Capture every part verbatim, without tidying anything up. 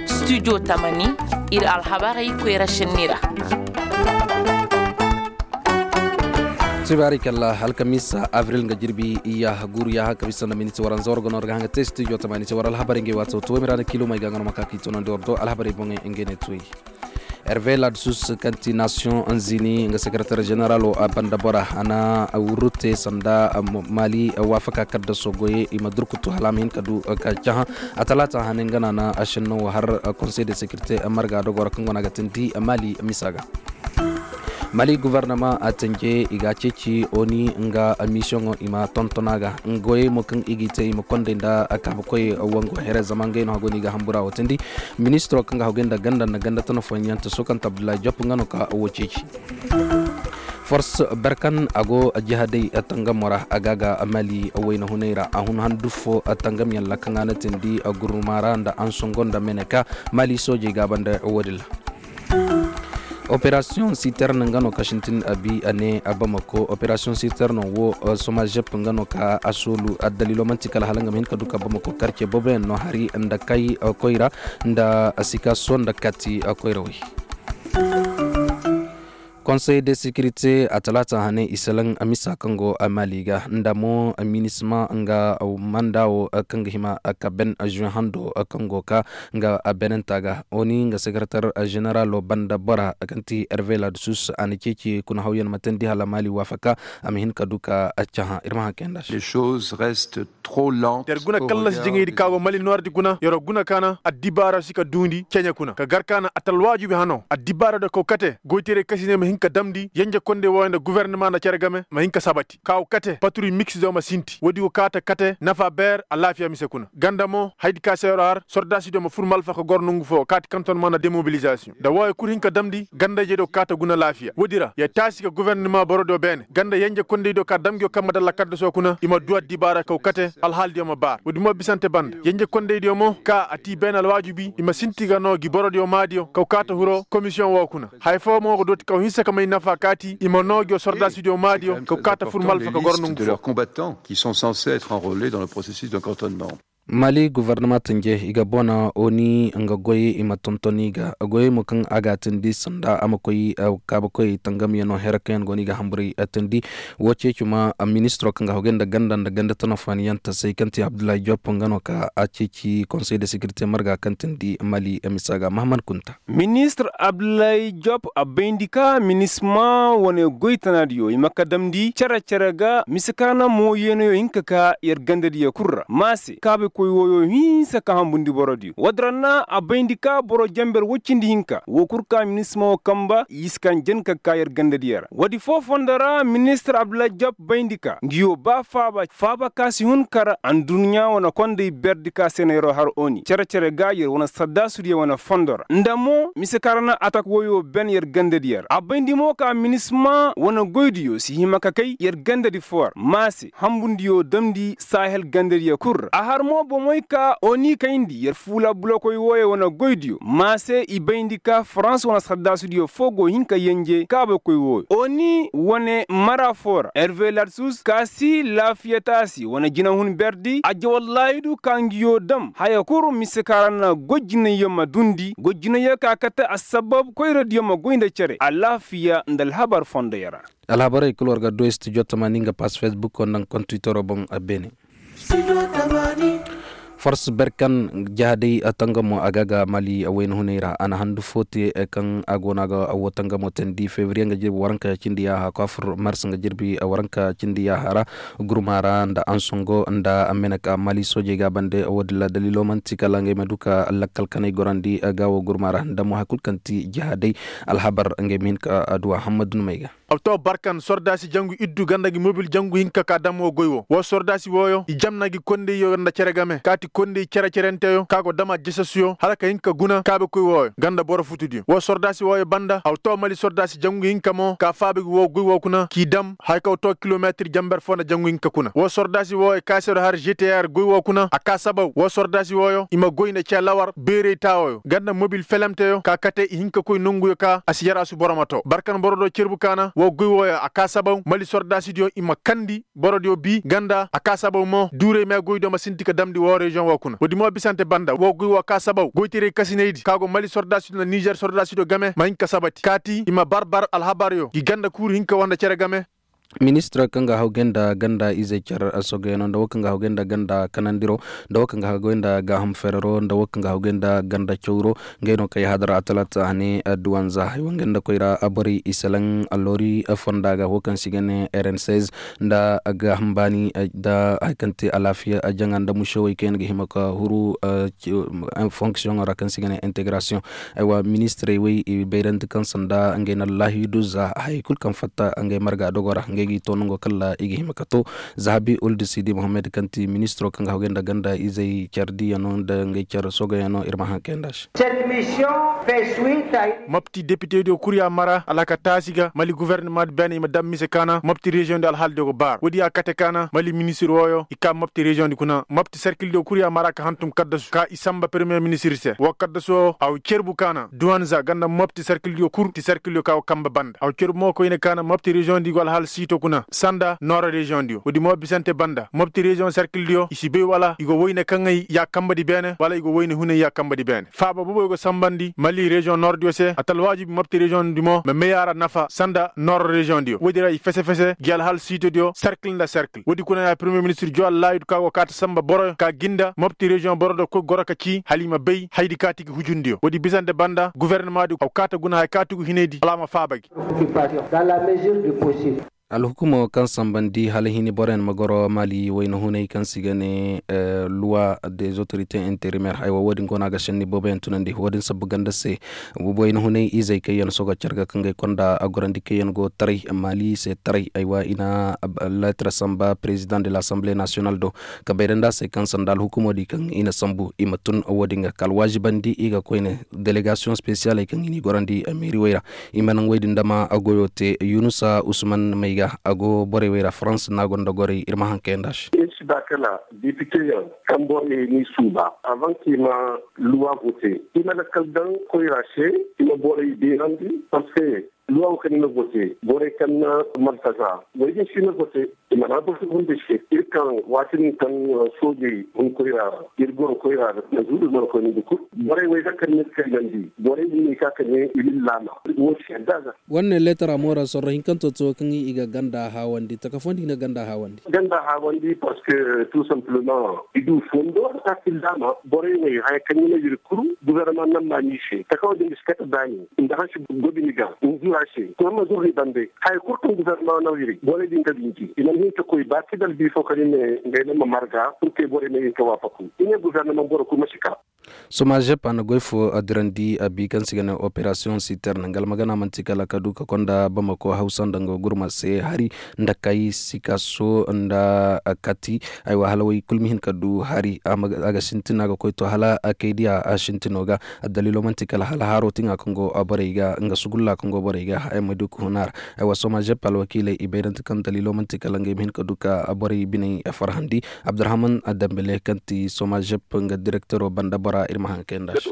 Studio tamani, ir alhabarey koyra šenni ra. Sibaari kalla alkamiisa abril nga jirbi iya guuru yaaha kabisa nda miniti waranza war gono war ga haŋ ga te studio tamani se war alhabarey ngey waato tuway miraana kilo may ga nga no ma ka k'i tunandi war do alhabarey boŋey ngey ne tuway. Hervé ladsus kaŋ ti nasiyoŋ zini nga sekaratar ženeralo a banda bora a na wurru te sanda mali waafaka kaddaso goyey i ma durkutu hala a ma hin ka du ka cahã. A talaata hane nga na na a šenno wo har konsey de sekirite marga dogoro kaŋ go no a ga tindi mali misa ga. Mali guvarnama a tanje i ga a ceeci oni nga misiyoŋo i ma tonton a ga. Goyey mo kaŋ i g'i te i ma konday nda kaabakoy wango here zama ngey no hago no i ga hambura wo tindi. Ministiro kaŋ ga hagoy nda ganda nda ganda tana foyanyaŋ ta sokanta abdullahi jop nga no ka wo ceeci. Force berkan a go jihadey tangamo ra a ga ga mali wayna hunay ra a hun handu fo tangamyaŋ ra kaŋ a na tindi guruma ra nda ansongo nda meneka. Mali soojey ga a banda wo-din ra. Operasiyoŋ siterne nga no ka sintin a bi a ne a bamako operasiyoŋ siterne wo somajep nga no ka a soolu a daliilo man'ti kala hala nga ma hin ka du ka bamako karce booboyaŋ no hari nda kay koyra nda sikaso nda kati koyrawey. Konsey de sekirite a talaata hane i salaŋ misa kaŋ go mali ga nda mo minisma nga manda wo kaŋ ga hima ka ben juin hando kaŋ go ka nga a benenta ga oni nga sekaratar ženeralo banda bora kaŋ ti hervé ladsus a na ceeci kuna hawyaŋ ma tandi hala mali waafaka a ma hin ka du ka cahã ir ma haŋ kayanda se. Yer guna kallas jiŋaydi ka go mali noordi guna yer guna ka na addibaara si ka duundi ceɲe kuna ka gar ka na atalwaajubi hano addibaara do kaw kate goytaray kasiney ma hin ka damndi yenje kondey wooyo nda guwernama nda cere game ma hin ka sabati ka go kate patruy miksizo ma sinti woodi go kaata kate nafa beer alaafiya mise kuna ganda mo haydi ka se yer har sordaasidiyo ma fur malfa ka goro nongu foo kaati kanton mana demobilizasiyoŋ nda wooyo kul hin ka damndi ganda-ijediyo kaata guna laafiya woodi ra yer taasi ka guwernama borodiyo beene ganda yenje kondeydiyo ka dam ngiyo kamma dalla kaddaso kuna i ma duu addibaara kaw kate alhaaldiyo ma baar woodi mo bisante banda yenje kondeydiyo mo ka a tii beene alwaajubi i ma sinti ga noo ngi borodiyo maadiyo kaw kaata hiro komisiyoŋ woo kuna haya foo mo ga dooti kaw hinsa ka may nafa kaati i ma noo ngiyo sordaasidiyo maadiyo kaw kaata fur malfa ka goro nongu foo. Mali guvernama tanje i ga bona oni nga goy i ma tonton i ga goyey mo kaŋ a ga a tindi sanda a ma koy kaabakoy tangamyaŋo here kaŋ yaŋ go no i ga hamburay tindi. Woo ceeci ma ministiro kaŋ ga hogay nda ganda nda ganda tanafaaniyaŋ tasay kaŋ ti abdullahi jop nga no ka a ceeci konsey de sekirite marga kaŋ tindi mali misa ga mahamad kunta. Ministir abdullahi jop a bayndi ka minisma wane goy tanaadiyo i ma ka damndi cere-cere ga mise ka na mooyeenayo hinka ka yer gandadiyo kul ra ma se kaabikoy wooyo hinsa ka hambundi borodiyo woodi ra na a bayndi ka boro jenber woy cindi hinka woo kul ka minisma woo kamba i si ka jen ka ka yer gandadiyo ra woodi foo fondo ra ministir abdullahi jop bayndi ka ngiyo ba faaba faaba ka si hun kar aduɲɲa wane kondey berdi ka se na yeroo har oni cere-cere ga yer wane saddaasudiyo wane fondo ra nda mo mise ka ra na atak woyoo ben yer gandadiyo ra a bayndi mo ka minisma wane goydiyo si hima ka kay yer gandadi foo ra ma se hambundiyo damndi sahel gandadiyo kul ra a har mo bomey ka oni kayndi yer fuula bulokoy wooyo wane goydiyo ma se i bayndi ka farans wane saddaasudiyo foo go hin ka yenje kaabakoy wooyo oni wane mara foo ra herve larsus ka si laafiya taasi wane jinahun berdi ajja wallaahidu ka ngiyo dam haya kul mise ka ra na goy jinayyo ma duundi goy jinayyo ka kate assabab koyradiyo ma goy nda cere alaafiya nda alhabar fondoyo ra. Alhabarey kul war ga du studio tamaani nga pass facebook nda nga kontitoroo boŋ. Beene. Fors berkan jahadey tangamo a ga ga mali wayna hunay ra a na handu fo te kaŋ a go no a ga woo tangamo teendi febriye nga jirbi waranka cindi yaaha kwafur mars nga jirbi waranka cindi yaaha ra. Gurma ra nda ansongo nda meneka mali soojey ga a bande woodin ra daliilo man'ti kala ngey ma du ka lakkal kaney gorandi ga woo gurma ra nda mo hari kul kaŋ ti jahadey. Alhabar ngey ma hin ka a du a hammadu numey ga. Abto barkan sordaasi jangu iddu ganda ngi mobil jangu hinka ka dam woo goy woo woo sordaasi wooyo i jamna ngi kondeyyo nda cere game kaati kondey cere-cerenteyo ka go dam a jesasuyo hala ka hin ka guna kaabekoy wooyo ganda boro futudiyo woo sordaasi wooyo banda abto mali sordaasi jangu hinka mo ka faaba ngi woo goy woo kuna k'i dam haya ka go too kilometir jamber foo nda jangu hinka kuna woo sordaasi wooyo ka se do har gtr goy woo kuna a ka sabaw woo sordaasi wooyo i ma goy nda cee lawar beerey taawooyo ganda mobil felemteyo ka kate i hin ka koy nonguyo ka a si yaraasu boro ma too barkan boro do cerbu ka na. woo goy wooyo a kaa sabaw mali sordaasidiyo i ma kandi borodiyo bii ganda a kaa sabaw mo duuray mee goydiyo ma sinti ka damndi woo reziyoŋ woo kuna woodi mo bisante banda woo goy woo kaa sabaw goytaray kasinaydi ka go mali sordaasidiyo nda nizer sordaasidiyo game ma hin ka sabati kaati i ma bar bar alhabaryo gi ganda kuuru hin ka war nda cere game. Ministir kaŋ ga hawgay nda ganda izey car sogoyano nda woo kaŋ ga hawgay nda ganda kanandiro nda woo kaŋ ga hawgay nda gaaham ferero nda woo kaŋ ga hawgay nda ganda cawro. Ngey no kay hadar atalata a ne duwanza haya woo ngey nda koyra borey i selaŋ alloori fonda ga woo kaŋ se i ga ne rn seize nda gaaham baani nda haya kaŋ te alaafiya jaŋa nda musewey kaŋ yaŋ ga hima ka huru fonksiyoŋo ra kaŋ se i ga ne integrasiyoŋ. Aywa ministirey wey i bayrandi kaŋ sanda ngey na laahidu za hayey kul kaŋ fatta ngey marga dogo ra ngey ga i to nango kala i ga hima ka to. Zahabi uldu sidi mohammed kaŋ ti ministiro kaŋ ga hawgay nda ganda izey care diiyano nda ngey care sogoyano ir ma haŋ kayanda se. Mopti depitediyo kul ya mara alhaka taasi ga mali guvernamaadi beene i ma dam mise kaana mopti reziyoŋ di alhaalidiyo ga baara woodi ya kate kaana mali ministir wooyo i kaa mopti reziyoŋ di kuna mopti serkildiyo kul ya mara ka hantum kaddasu ka i samba peremiye ministir se woo kaddasu woo a wa cerbu kaana duwanza ganda mopti serkildiyo kul ti serkildiyo ka go kambe banda a wa cerbu mo koyne kaana mopti reziyoŋ di go alhaali siito kuna sanda nooro reziyoŋ diyo woodi mo bisante banda mopti reziyoŋ serkildiyo i si bay wala i go wayne kaŋey ya kambedi beene wala i go wayne huney ya kambedi beene faaba boboyo go sambandi mali reziyoŋ noordiyo se a ta alwaajibi mopti reziyoŋ di mo ma may a ra nafa sanda nooro reziyoŋ diyo woodi ra i fese fese gi alhaali siitodiyo serkil nda serkil woodi kuna ya peremiye ministir jowa laayidu ka go kaati samba boroyo ka ginda mopti reziyoŋ boro do koy goro ka cii hala i ma bay hayadi kaati gi hujundiyo woodi bisante banda guvernamaadi a go kaati guna haya kaati gu hinaydi wala a ma faaba gi. Alhukumo kaŋ sambandi hala hini boroyaŋ ma goro mali wayna hunay kaŋ se i ga ne luwa des autorités intérimaires haywa wo- din go no a ga senni booboyaŋ tunandi wo- din sabbu ganda se. Wayna hunay izey kaŋ yaŋ sogo care ga kaŋ ga ay konda a gorandi kaŋ yaŋ go taray mali se taray haywa i na leetar samba président de l'assemblée nationale do ka bayrandi a se kaŋ sanda alhukumo di kaŋ i na sambu i ma tun wo- din ga ka alwaazibandi i ga koyne délégation spécialey kaŋ i n'i gorandi meeri wey ra. I ma naŋ wey din dama a goyo te yunusa usman may ga a go borey wey ra farans no a gonda gorey ir ma haŋ kayandi a se. Ir si ba kala depite yaŋ kaŋ borey n'i suuba avant k'i ma luwa vote i ma lakkal daŋ koyra se i ma borey beerandi parce que luwa wo kaŋ i ma vote borey kaŋ na martaza wey din si i ma vote. I mana boro fo hunde se ir kaŋ waati din kaŋ soojey hun koyra ra ir goro koyra ra na zuuru ir mana koy nda kul borey wey ga kaŋ ni kaylandi borey din no i ka ka ne i ma ni laama. Wo si yadda ga. War ne leetara moora sorro hinkanto to kaŋ i ga ganda haawandi taka fooyaŋ di i na ganda haawandi. Ganda haawandi parce que tout simplement i du fondo a ka ka i laama borey wey haya kaŋ i na ir kuru guvernement nan ma ni se taka wo din ga si kate baani nda hansi gobi ni ga ni zura se kuma ma zuru ni bande. Haya kul kaŋ gouvernement na wiri borey din ga binji i mana hin ka koy ba kidal bi fo kaŋ i ne ngey no ma marga pur que borey ma hin ka waafaku i ne gouvernement boro kul ma si ka. Somazep a na goy fo dirandi a bi kaŋ se i ga ne operasiyoŋ siterne nga almagana man'ti kala ka du ka konda bamako hawsa nda nga gurma se hari nda kay sikaso nda kati. Aywa hala wey kul ma hin ka du hari a ga sintin a ga koy to hala kay diya a sintino ga. Addaliilo man'ti kala hala haaro tiŋa kaŋ go borey ga nga sugulla kaŋ go borey ga haya ma du ka hun a ra. Aywa somazep alwakiiley i bayrante kaŋ daliilo man'ti kala ngey ma hin ka du ka borey biney farhandi. Abdurahman dambele kaŋ ti somazep nga direktero banda bora ir ma haŋ kayandi a se.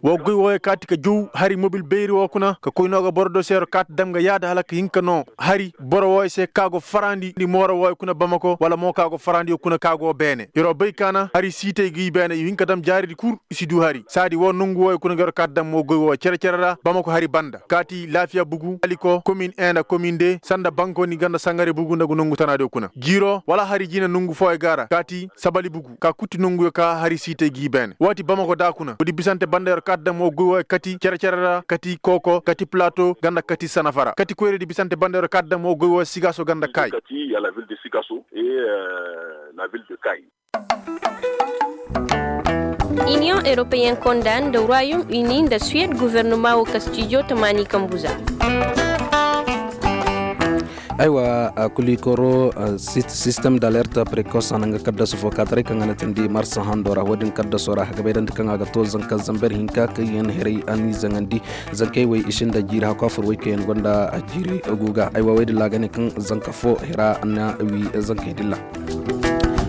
Wo goy wooyo kaati ka jaw hari mobil bayri wo kuna ka koy no ga boro do se yer kaati dam ga yaada hala ka hin ka no hari boro wooyo se ka go farandi mooro wooyo kuna bamako wala mo ka go farandi kuna ka go beene yer wo bay kaana hari siitey ga i beene i hin ka dam jaaridi kul. I si du hari saadi wo nongu wooyo kuna ga yer kaati dam mo goy wooyo cere-cere ra bamako hari banda kaati laafiya bugu aliko komin en nda komin de sanda bankoni ganda sangare bugu nda nongu tanaadiyo kuna jiiro wala hari jiine nongu fooyo ga ra kaati sabali bugu ka kutti nonguyo ka hari siitey ga i beene waati bamako da kuna woodi bisante banda yer kaati dam mo goy wooyo kati cere-cere ra kati kooko kati plato ganda kati sanafara kati koyradi bisante banda yer kaati dam mo goy wooyo sigaso ganda kaayi. Iniyoŋ europeen konda nda royaume uni nda suwed guvernoma wo kastijo tamaani kambuza. Aywa kulikoro sistem da alerte prekos a na nga kaddasu fo kaataray kaŋ a na tindi marsa hando ra wo- din kaddaso ra a ga bayrandi kaŋ a ga to zanka zamber hinka kaŋ yaŋ hiray a n'i zaŋandi. Zankey wey i sinda jiiri hakku a fur wey kaŋ yaŋ gonda jiiri guga aywa wey din ra a ga ne kaŋ zanka fo hira na wi zankey din ra.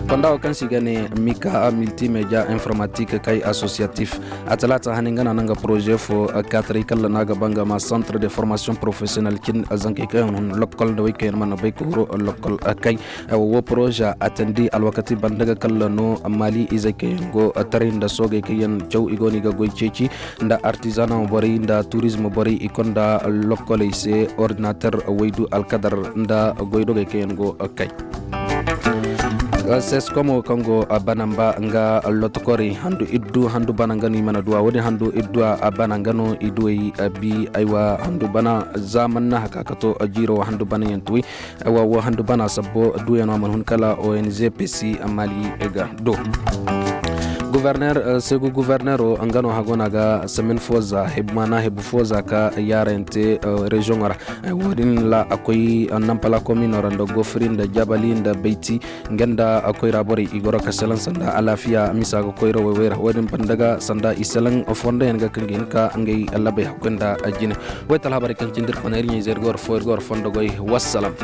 Fonda wo kaŋ se i ga ne mika multimedia informatik kay associatif, a talaata hane nga no a na nga poroze fo, kaataray kalla no a ga ba nga ma centre de formation professionnel cin zankey kaŋ yaŋ hun lokkol nda wey kaŋ yaŋ mana bay ka huru lokkol kay. Wo poroze a tandi alwakati banda ga kalla no mali izey kaŋ yaŋ go taray nda soogey kaŋ yaŋ caw i go no i ga goy ceeci nda artizana borey nda turizm borey i konda lokkoley se ordinater waydu alkadar nda goydogey kaŋ yaŋ go kay. Seskomo kaŋ go banamba nga lotokorey handu iddu handu bana nga no i mana duwa wo-din handu iddu a bana nga no i duwey bi aywa handu bana za man na haka ka to jiiro wo handu bana yaŋ tuwey. Aywa wo handu bana sabbo duuyano a mana hun kala ong pesi mali ga do. Guverner segu guverneero nga no hago no a ga samin fo za hebu maana hebu fo za ka yaarayante reziyoŋo ra. Wo-din ra a koy nampala komino ra nda gofiri nda jabali nda bayti nga nda koyra borey i goro ka selaŋ sanda alaafiya misa ga koyra woy woy ra wo-din banda ga sanda i selaŋ fondoyaŋ ga kaŋ ga hin ka ngey labay hakkoy nda jine. Woy talhabarey kaŋ cindi ir kona ir ɲa-ize ir ga war fo ir ga war fondo goy. Wassalam.